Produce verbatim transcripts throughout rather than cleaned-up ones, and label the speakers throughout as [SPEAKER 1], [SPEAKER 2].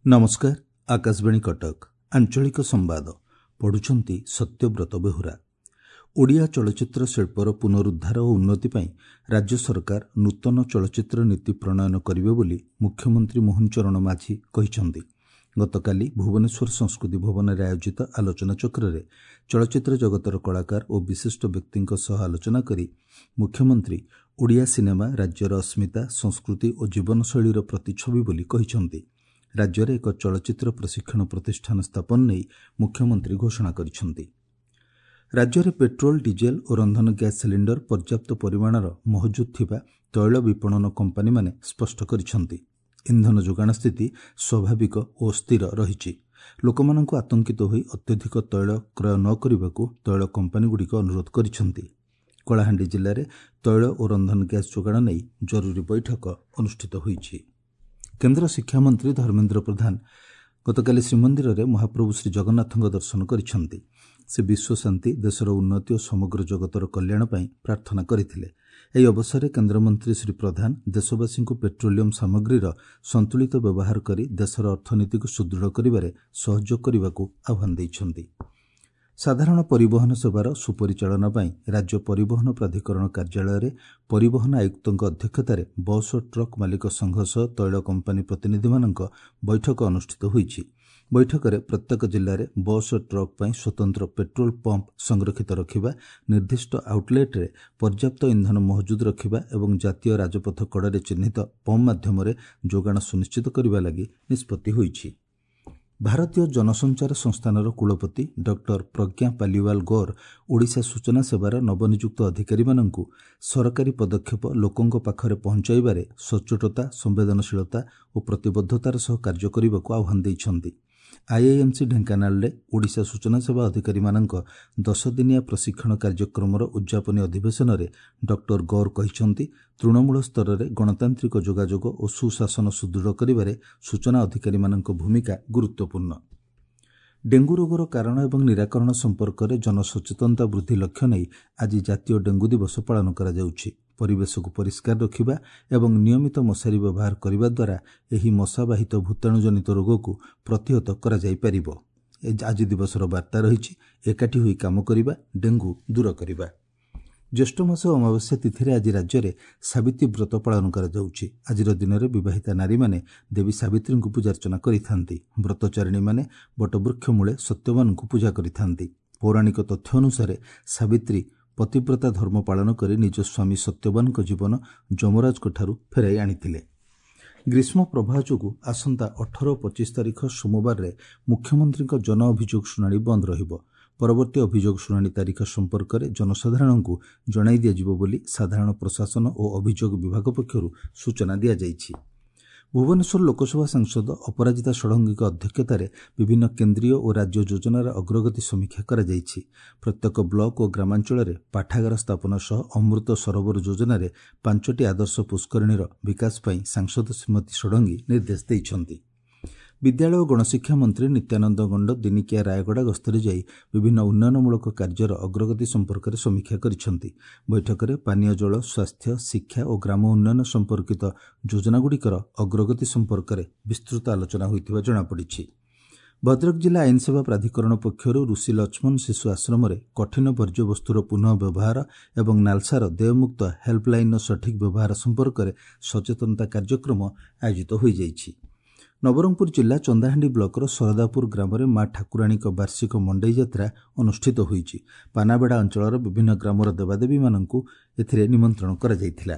[SPEAKER 1] ନମସ୍କାର, ଆକାଶବାଣୀ କଟକ, ଆଞ୍ଚଳିକ ସମ୍ବାଦ ପଢୁଛନ୍ତି ସତ୍ୟବ୍ରତ ବେହୁରା। ଓଡ଼ିଆ ଚଳଚ୍ଚିତ୍ର ଶିଳ୍ପର ପୁନରୁଦ୍ଧାର ଓ ଉନ୍ନତି ପାଇଁ ରାଜ୍ୟ ସରକାର ନୂତନ ଚଳଚ୍ଚିତ୍ର ନୀତି ପ୍ରଣୟନ କରିବେ ବୋଲି ମୁଖ୍ୟମନ୍ତ୍ରୀ ମୋହନ ଚରଣ ମାଝୀ କହିଛନ୍ତି। ଗତକାଲି ଭୁବନେଶ୍ୱର ସଂସ୍କୃତି ଭବନରେ ଆୟୋଜିତ ଆଲୋଚନାଚକ୍ରରେ ଚଳଚ୍ଚିତ୍ର ଜଗତର କଳାକାର ଓ ବିଶିଷ୍ଟ ବ୍ୟକ୍ତିଙ୍କ ସହ ଆଲୋଚନା କରି ମୁଖ୍ୟମନ୍ତ୍ରୀ ଓଡ଼ିଆ ସିନେମା ରାଜ୍ୟର ଅସ୍ମିତା, ସଂସ୍କୃତି ଓ ଜୀବନଶୈଳୀର ପ୍ରତିଛବି ବୋଲି କହିଛନ୍ତି। ରାଜ୍ୟରେ ଏକ ଚଳଚ୍ଚିତ୍ର ପ୍ରଶିକ୍ଷଣ ପ୍ରତିଷ୍ଠାନ ସ୍ଥାପନ ନେଇ ମୁଖ୍ୟମନ୍ତ୍ରୀ ଘୋଷଣା କରିଛନ୍ତି। ରାଜ୍ୟରେ ପେଟ୍ରୋଲ, ଡିଜେଲ ଓ ରନ୍ଧନ ଗ୍ୟାସ୍ ସିଲିଣ୍ଡର ପର୍ଯ୍ୟାପ୍ତ ପରିମାଣର ମହଜୁଦ ଥିବା ତୈଳ ବିପଣନ କମ୍ପାନୀମାନେ ସ୍ପଷ୍ଟ କରିଛନ୍ତି। ଇନ୍ଧନ ଯୋଗାଣ ସ୍ଥିତି ସ୍ୱାଭାବିକ ଓ ସ୍ଥିର ରହିଛି। ଲୋକମାନଙ୍କୁ ଆତଙ୍କିତ ହୋଇ ଅତ୍ୟଧିକ ତୈଳ କ୍ରୟ ନ କରିବାକୁ ତୈଳ କମ୍ପାନୀଗୁଡ଼ିକ ଅନୁରୋଧ କରିଛନ୍ତି। କଳାହାଣ୍ଡି ଜିଲ୍ଲାରେ ତୈଳ ଓ ରନ୍ଧନ ଗ୍ୟାସ୍ ଯୋଗାଣ ନେଇ ଜରୁରୀ ବୈଠକ ଅନୁଷ୍ଠିତ ହୋଇଛି। କେନ୍ଦ୍ର ଶିକ୍ଷାମନ୍ତ୍ରୀ ଧର୍ମେନ୍ଦ୍ର ପ୍ରଧାନ ଗତକାଲି ଶ୍ରୀମନ୍ଦିରରେ ମହାପ୍ରଭୁ ଶ୍ରୀଜଗନ୍ନାଥଙ୍କ ଦର୍ଶନ କରିଛନ୍ତି। ସେ ବିଶ୍ୱଶାନ୍ତି, ଦେଶର ଉନ୍ନତି ଓ ସମଗ୍ର ଜଗତର କଲ୍ୟାଣ ପାଇଁ ପ୍ରାର୍ଥନା କରିଥିଲେ। ଏହି ଅବସରରେ କେନ୍ଦ୍ରମନ୍ତ୍ରୀ ଶ୍ରୀ ପ୍ରଧାନ ଦେଶବାସୀଙ୍କୁ ପେଟ୍ରୋଲିୟମ ସାମଗ୍ରୀର ସନ୍ତୁଳିତ ବ୍ୟବହାର କରି ଦେଶର ଅର୍ଥନୀତିକୁ ସୁଦୃଢ଼ କରିବାରେ ସହଯୋଗ କରିବାକୁ ଆହ୍ୱାନ ଦେଇଛନ୍ତି। ସାଧାରଣ ପରିବହନ ସେବାର ସୁପରିଚାଳନା ପାଇଁ ରାଜ୍ୟ ପରିବହନ ପ୍ରାଧିକରଣ କାର୍ଯ୍ୟାଳୟରେ ପରିବହନ ଆୟୁକ୍ତଙ୍କ ଅଧ୍ୟକ୍ଷତାରେ ବସ୍ ଓ ଟ୍ରକ୍ ମାଲିକ ସଂଘ ସହ ତୈଳ କମ୍ପାନୀ ପ୍ରତିନିଧିମାନଙ୍କ ବୈଠକ ଅନୁଷ୍ଠିତ ହୋଇଛି। ବୈଠକରେ ପ୍ରତ୍ୟେକ ଜିଲ୍ଲାରେ ବସ୍ ଓ ଟ୍ରକ୍ ପାଇଁ ସ୍ୱତନ୍ତ୍ର ପେଟ୍ରୋଲ ପମ୍ପ ସଂରକ୍ଷିତ ରଖିବା, ନିର୍ଦ୍ଦିଷ୍ଟ ଆଉଟ୍ଲେଟ୍ରେ ପର୍ଯ୍ୟାପ୍ତ ଇନ୍ଧନ ମହଜୁଦ ରଖିବା ଏବଂ ଜାତୀୟ ରାଜପଥ କଡ଼ରେ ଚିହ୍ନିତ ପମ୍ପ ମାଧ୍ୟମରେ ଯୋଗାଣ ସୁନିଶ୍ଚିତ କରିବା ଲାଗି ନିଷ୍ପତ୍ତି ହୋଇଛି। ଭାରତୀୟ ଜନସଞ୍ଚାର ସଂସ୍ଥାନର କୁଳପତି ଡକ୍ଟର ପ୍ରଜ୍ଞା ପାଲିୱାଲ ଗୌର ଓଡ଼ିଶା ସୂଚନା ସେବାର ନବନିଯୁକ୍ତ ଅଧିକାରୀମାନଙ୍କୁ ସରକାରୀ ପଦକ୍ଷେପ ଲୋକଙ୍କ ପାଖରେ ପହଞ୍ଚାଇବାରେ ସଚ୍ଚୋଟତା, ସମ୍ବେଦନଶୀଳତା ଓ ପ୍ରତିବଦ୍ଧତାର ସହ କାର୍ଯ୍ୟ କରିବାକୁ ଆହ୍ୱାନ ଦେଇଛନ୍ତି। ଆଇଆଇଏମ୍ସି ଢେଙ୍କାନାଳରେ ଓଡ଼ିଶା ସୂଚନା ସେବା ଅଧିକାରୀମାନଙ୍କ ଦଶଦିନିଆ ପ୍ରଶିକ୍ଷଣ କାର୍ଯ୍ୟକ୍ରମର ଉଦ୍ଯାପନୀ ଅଧିବେଶନରେ ଡକ୍ଟର ଗୌର କହିଛନ୍ତି, ତୃଣମୂଳ ସ୍ତରରେ ଗଣତାନ୍ତ୍ରିକ ଯୋଗାଯୋଗ ଓ ସୁଶାସନ ସୁଦୃଢ଼ କରିବାରେ ସୂଚନା ଅଧିକାରୀମାନଙ୍କ ଭୂମିକା ଗୁରୁତ୍ୱପୂର୍ଣ୍ଣ। ଡେଙ୍ଗୁ ରୋଗର କାରଣ ଏବଂ ନିରାକରଣ ସମ୍ପର୍କରେ ଜନସଚେତନତା ବୃଦ୍ଧି ଲକ୍ଷ୍ୟ ନେଇ ଆଜି ଜାତୀୟ ଡେଙ୍ଗୁ ଦିବସ ପାଳନ କରାଯାଉଛି। ପରିବେଶକୁ ପରିଷ୍କାର ରଖିବା ଏବଂ ନିୟମିତ ମଶାରୀ ବ୍ୟବହାର କରିବା ଦ୍ୱାରା ଏହି ମଶାବାହିତ ଭୂତାଣୁଜନିତ ରୋଗକୁ ପ୍ରତିହତ କରାଯାଇପାରିବ। ଆଜି ଦିବସର ବାର୍ତ୍ତା ରହିଛି, ଏକାଠି ହୋଇ କାମ କରିବା, ଡେଙ୍ଗୁ ଦୂର କରିବା। ଜ୍ୟେଷ୍ଠ ମାସ ଅମାବାସ୍ୟା ତିଥିରେ ଆଜି ରାଜ୍ୟରେ ସାବିତ୍ରୀ ବ୍ରତ ପାଳନ କରାଯାଉଛି। ଆଜିର ଦିନରେ ବିବାହିତା ନାରୀମାନେ ଦେବୀ ସାବିତ୍ରୀଙ୍କୁ ପୂଜାର୍ଚ୍ଚନା କରିଥାନ୍ତି। ବ୍ରତଚାରିଣୀମାନେ ବଟବୃକ୍ଷ ମୂଳେ ସତ୍ୟବାନଙ୍କୁ ପୂଜା କରିଥାନ୍ତି। ପୌରାଣିକ ତଥ୍ୟ ଅନୁସାରେ ସାବିତ୍ରୀ ପତିବ୍ରତା ଧର୍ମ ପାଳନ କରି ନିଜ ସ୍ୱାମୀ ସତ୍ୟବାନଙ୍କ ଜୀବନ ଯମରାଜଙ୍କଠାରୁ ଫେରାଇ ଆଣିଥିଲେ। ଗ୍ରୀଷ୍ମ ପ୍ରବାହ ଯୋଗୁଁ ଆସନ୍ତା ଅଠର ଓ ପଚିଶ ତାରିଖ ସୋମବାରରେ ମୁଖ୍ୟମନ୍ତ୍ରୀଙ୍କ ଜନ ଅଭିଯୋଗ ଶୁଣାଣି ବନ୍ଦ ରହିବ। ପରବର୍ତ୍ତୀ ଅଭିଯୋଗ ଶୁଣାଣି ତାରିଖ ସମ୍ପର୍କରେ ଜନସାଧାରଣଙ୍କୁ ଜଣାଇ ଦିଆଯିବ ବୋଲି ସାଧାରଣ ପ୍ରଶାସନ ଓ ଅଭିଯୋଗ ବିଭାଗ ପକ୍ଷରୁ ସୂଚନା ଦିଆଯାଇଛି। ଭୁବନେଶ୍ୱର ଲୋକସଭା ସାଂସଦ ଅପରାଜିତା ଷଡ଼ଙ୍ଗୀଙ୍କ ଅଧ୍ୟକ୍ଷତାରେ ବିଭିନ୍ନ କେନ୍ଦ୍ରୀୟ ଓ ରାଜ୍ୟ ଯୋଜନାର ଅଗ୍ରଗତି ସମୀକ୍ଷା କରାଯାଇଛି। ପ୍ରତ୍ୟେକ ବ୍ଲକ ଓ ଗ୍ରାମାଞ୍ଚଳରେ ପାଠାଗାର ସ୍ଥାପନ ସହ ଅମୃତ ସରୋବର ଯୋଜନାରେ ପାଞ୍ଚଟି ଆଦର୍ଶ ପୁଷ୍କରିଣୀର ବିକାଶ ପାଇଁ ସାଂସଦ ଶ୍ରୀମତୀ ଷଡ଼ଙ୍ଗୀ ନିର୍ଦ୍ଦେଶ ଦେଇଛନ୍ତି। ବିଦ୍ୟାଳୟ ଓ ଗଣଶିକ୍ଷା ମନ୍ତ୍ରୀ ନିତ୍ୟାନନ୍ଦ ଗଣ୍ଡ ଦିନିକିଆ ରାୟଗଡ଼ା ଗସ୍ତରେ ଯାଇ ବିଭିନ୍ନ ଉନ୍ନୟନମୂଳକ କାର୍ଯ୍ୟର ଅଗ୍ରଗତି ସମ୍ପର୍କରେ ସମୀକ୍ଷା କରିଛନ୍ତି। ବୈଠକରେ ପାନୀୟ ଜଳ, ସ୍ୱାସ୍ଥ୍ୟ, ଶିକ୍ଷା ଓ ଗ୍ରାମ ଉନ୍ନୟନ ସମ୍ପର୍କିତ ଯୋଜନାଗୁଡ଼ିକର ଅଗ୍ରଗତି ସମ୍ପର୍କରେ ବିସ୍ତୃତ ଆଲୋଚନା ହୋଇଥିବା ଜଣାପଡ଼ିଛି। ଭଦ୍ରକ ଜିଲ୍ଲା ଆଇନସେବା ପ୍ରାଧିକରଣ ପକ୍ଷରୁ ଋଷି ଲକ୍ଷ୍ମଣ ଶିଶୁ ଆଶ୍ରମରେ କଠିନ ବର୍ଜ୍ୟବସ୍ତୁର ପୁନଃ ବ୍ୟବହାର ଏବଂ ନାଲସାର ଦେୟମୁକ୍ତ ହେଲ୍ପଲାଇନ୍ର ସଠିକ୍ ବ୍ୟବହାର ସମ୍ପର୍କରେ ସଚେତନତା କାର୍ଯ୍ୟକ୍ରମ ଆୟୋଜିତ ହୋଇଯାଇଛି। ନବରଙ୍ଗପୁର ଜିଲ୍ଲା ଚନ୍ଦାହାଣ୍ଡି ବ୍ଲକର ସରଦାପୁର ଗ୍ରାମରେ ମା ଠାକୁରାଣୀଙ୍କ ବାର୍ଷିକ ମଣ୍ଡେଇ ଯାତ୍ରା ଅନୁଷ୍ଠିତ ହୋଇଛି। ପାନାବେଡ଼ା ଅଞ୍ଚଳର ବିଭିନ୍ନ ଗ୍ରାମର ଦେବାଦେବୀମାନଙ୍କୁ ଏଥିରେ ନିମନ୍ତ୍ରଣ କରାଯାଇଥିଲା।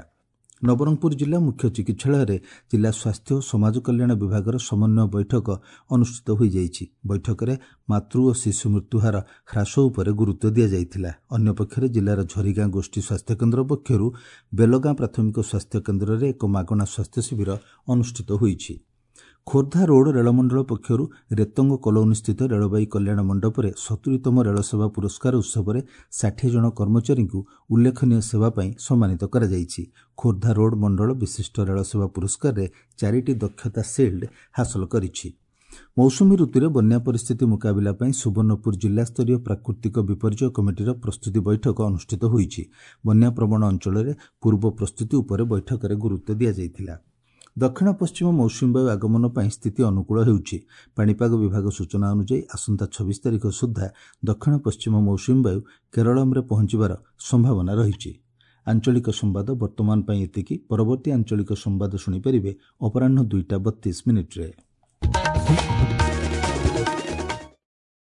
[SPEAKER 1] ନବରଙ୍ଗପୁର ଜିଲ୍ଲା ମୁଖ୍ୟ ଚିକିତ୍ସାଳୟରେ ଜିଲ୍ଲା ସ୍ୱାସ୍ଥ୍ୟ ଓ ସମାଜ କଲ୍ୟାଣ ବିଭାଗର ସମନ୍ୱୟ ବୈଠକ ଅନୁଷ୍ଠିତ ହୋଇଯାଇଛି। ବୈଠକରେ ମାତୃ ଓ ଶିଶୁ ମୃତ୍ୟୁହାର ହ୍ରାସ ଉପରେ ଗୁରୁତ୍ୱ ଦିଆଯାଇଥିଲା। ଅନ୍ୟପକ୍ଷରେ ଜିଲ୍ଲାର ଝରିଗାଁ ଗୋଷ୍ଠୀ ସ୍ୱାସ୍ଥ୍ୟକେନ୍ଦ୍ର ପକ୍ଷରୁ ବେଲଗାଁ ପ୍ରାଥମିକ ସ୍ୱାସ୍ଥ୍ୟକେନ୍ଦ୍ରରେ ଏକ ମାଗଣା ସ୍ୱାସ୍ଥ୍ୟ ଶିବିର ଅନୁଷ୍ଠିତ ହୋଇଛି। ଖୋର୍ଦ୍ଧା ରୋଡ୍ ରେଳମଣ୍ଡଳ ପକ୍ଷରୁ ରେତଙ୍ଗ କଲୋନୀସ୍ଥିତ ରେଳବାଇ କଲ୍ୟାଣ ମଣ୍ଡପରେ ସତୁରିତମ ରେଳସେବା ପୁରସ୍କାର ଉତ୍ସବରେ ଷାଠିଏ ଜଣ କର୍ମଚାରୀଙ୍କୁ ଉଲ୍ଲେଖନୀୟ ସେବା ପାଇଁ ସମ୍ମାନିତ କରାଯାଇଛି। ଖୋର୍ଦ୍ଧା ରୋଡ୍ ମଣ୍ଡଳ ବିଶିଷ୍ଟ ରେଳସେବା ପୁରସ୍କାରରେ ଚାରିଟି ଦକ୍ଷତା ସିଲ୍ଡ ହାସଲ କରିଛି। ମୌସୁମୀ ଋତୁରେ ବନ୍ୟା ପରିସ୍ଥିତି ମୁକାବିଲା ପାଇଁ ସୁବର୍ଣ୍ଣପୁର ଜିଲ୍ଲାସ୍ତରୀୟ ପ୍ରାକୃତିକ ବିପର୍ଯ୍ୟୟ କମିଟିର ପ୍ରସ୍ତୁତି ବୈଠକ ଅନୁଷ୍ଠିତ ହୋଇଛି। ବନ୍ୟାପ୍ରବଣ ଅଞ୍ଚଳରେ ପୂର୍ବ ପ୍ରସ୍ତୁତି ଉପରେ ବୈଠକରେ ଗୁରୁତ୍ୱ ଦିଆଯାଇଥିଲା। ଦକ୍ଷିଣ ପଶ୍ଚିମ ମୌସୁମୀ ବାୟୁ ଆଗମନ ପାଇଁ ସ୍ଥିତି ଅନୁକୂଳ ହେଉଛି। ପାଣିପାଗ ବିଭାଗ ସୂଚନା ଅନୁଯାୟୀ ଆସନ୍ତା ଛବିଶ ତାରିଖ ସୁଦ୍ଧା ଦକ୍ଷିଣ ପଶ୍ଚିମ ମୌସୁମୀ ବାୟୁ କେରଳମରେ ପହଞ୍ଚିବାର ସମ୍ଭାବନା ରହିଛି। ଆଞ୍ଚଳିକ ସମ୍ବାଦ ବର୍ତ୍ତମାନ ପାଇଁ ଏତିକି। ପରବର୍ତ୍ତୀ ଆଞ୍ଚଳିକ ସମ୍ବାଦ ଶୁଣିପାରିବେ ଅପରାହ୍ନ ଦୁଇଟା ବତିଶ ମିନିଟ୍ରେ।